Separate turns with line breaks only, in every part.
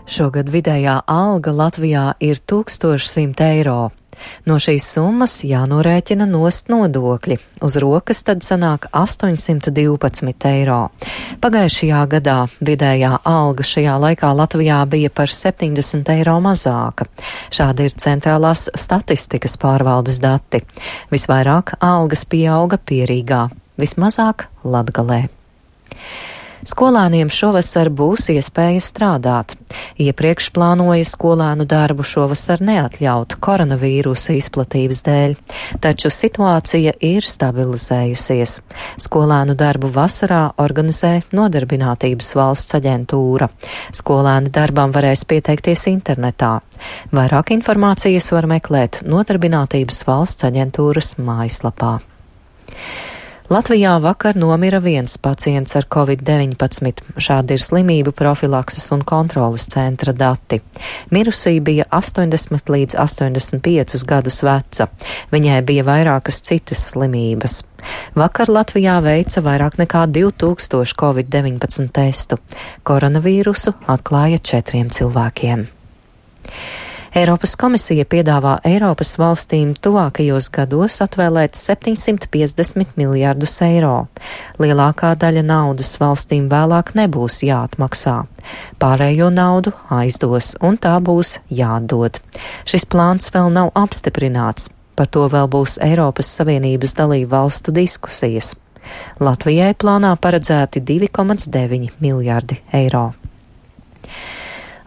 Šogad vidējā alga Latvijā ir 1100 eiro. No šīs summas jānorēķina nost nodokļi. Uz rokas tad sanāk 812 eiro. Pagājušajā gadā vidējā alga šajā laikā Latvijā bija par 70 eiro mazāka. Šādi ir centrālās statistikas pārvaldes dati. Visvairāk algas pieauga Pierīgā, vismazāk Latgalē. Skolēniem šovasar būs iespēja strādāt. Iepriekš plānoja skolēnu darbu šovasar neatļaut koronavīrusa izplatības dēļ, taču situācija ir stabilizējusies. Skolēnu darbu vasarā organizē Nodarbinātības valsts aģentūra. Skolēni darbam varēs pieteikties internetā. Vairāk informācijas var meklēt Nodarbinātības valsts aģentūras mājaslapā. Latvijā vakar nomira viens pacients ar Covid-19. Šādi ir slimību profilakses un kontroles centra dati. Mirusī bija 80 līdz 85 gadus veca. Viņai bija vairākas citas slimības. Vakar Latvijā veica vairāk nekā 2000 Covid-19 testu. Koronavīrusu atklāja 4 cilvēkiem. Eiropas komisija piedāvā Eiropas valstīm tuvākajos gados atvēlēt 750 miljardus eiro. Lielākā daļa naudas valstīm vēlāk nebūs jāatmaksā. Pārējo naudu aizdos, un tā būs jāatdod. Šis plāns vēl nav apstiprināts. Par to vēl būs Eiropas Savienības dalību valstu diskusijas. Latvijai plānā paredzēti 2,9 miljardi eiro.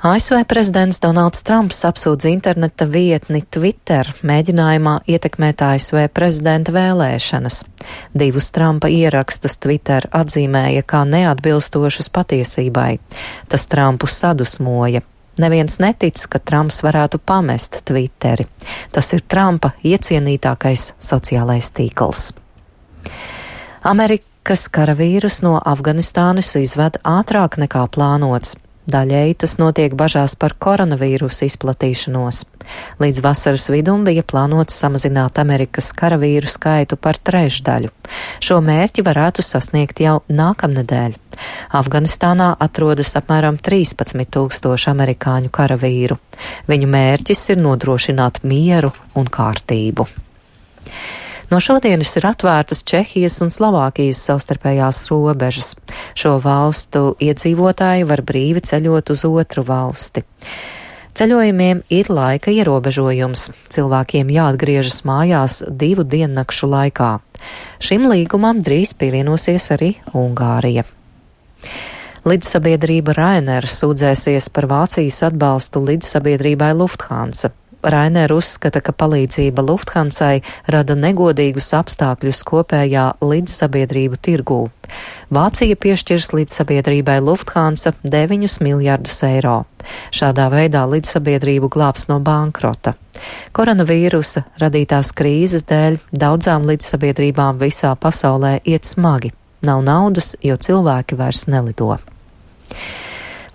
ASV prezidents Donalds Trumps apsūdz interneta vietni Twitter mēģinājumā ietekmēt ASV prezidenta vēlēšanas. 2 Trumpa ierakstus Twitter atzīmēja kā neatbilstošus patiesībai. Tas Trumpu sadusmoja. Neviens netic, ka Trumps varētu pamest Twitteri. Tas ir Trumpa iecienītākais sociālais tīkls. Amerikas karavīrus no Afganistānas izved ātrāk nekā plānots. Daļēji tas notiek bažās par koronavīrusu izplatīšanos. Līdz vasaras vidum bija plānots samazināt Amerikas karavīru skaitu par 1/3. Šo mērķi varētu sasniegt jau nākamnedēļ. Afganistānā atrodas apmēram 13 000 amerikāņu karavīru. Viņu mērķis ir nodrošināt mieru un kārtību. No šodienas ir atvērtas Čehijas un Slovākijas savstarpējās robežas. Šo valstu iedzīvotāji var brīvi ceļot uz otru valsti. Ceļojumiem ir laika ierobežojums. Cilvēkiem jāatgriežas mājās 2 diennakšu laikā. Šim līgumam drīz pievienosies arī Ungārija. Lidsabiedrība Ryanair sūdzēsies par Vācijas atbalstu lidsabiedrībai Lufthansa. Ryanair uzskata, ka palīdzība Lufthansai rada negodīgus apstākļus kopējā lidsabiedrību tirgū. Vācija piešķirs lidsabiedrībai Lufthansa 9 miljardus eiro. Šādā veidā lidsabiedrību glābs no bankrota. Koronavīrusa radītās krīzes dēļ daudzām lidsabiedrībām visā pasaulē iet smagi. Nav naudas, jo cilvēki vairs nelido.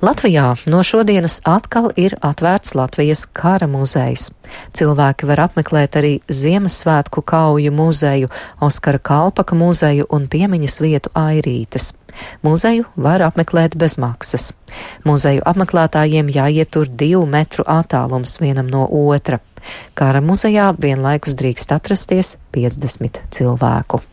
Latvijā no šodienas atkal ir atvērts Latvijas kara muzejs. Cilvēki var apmeklēt arī Ziemassvētku kauju muzeju, Oskara Kalpaka muzeju un piemiņas vietu Airītes. Muzeju var apmeklēt bez maksas. Muzeju apmeklētājiem jāiet tur 2 metru attālums vienam no otra. Kara muzejā vienlaikus drīkst atrasties 50 cilvēku.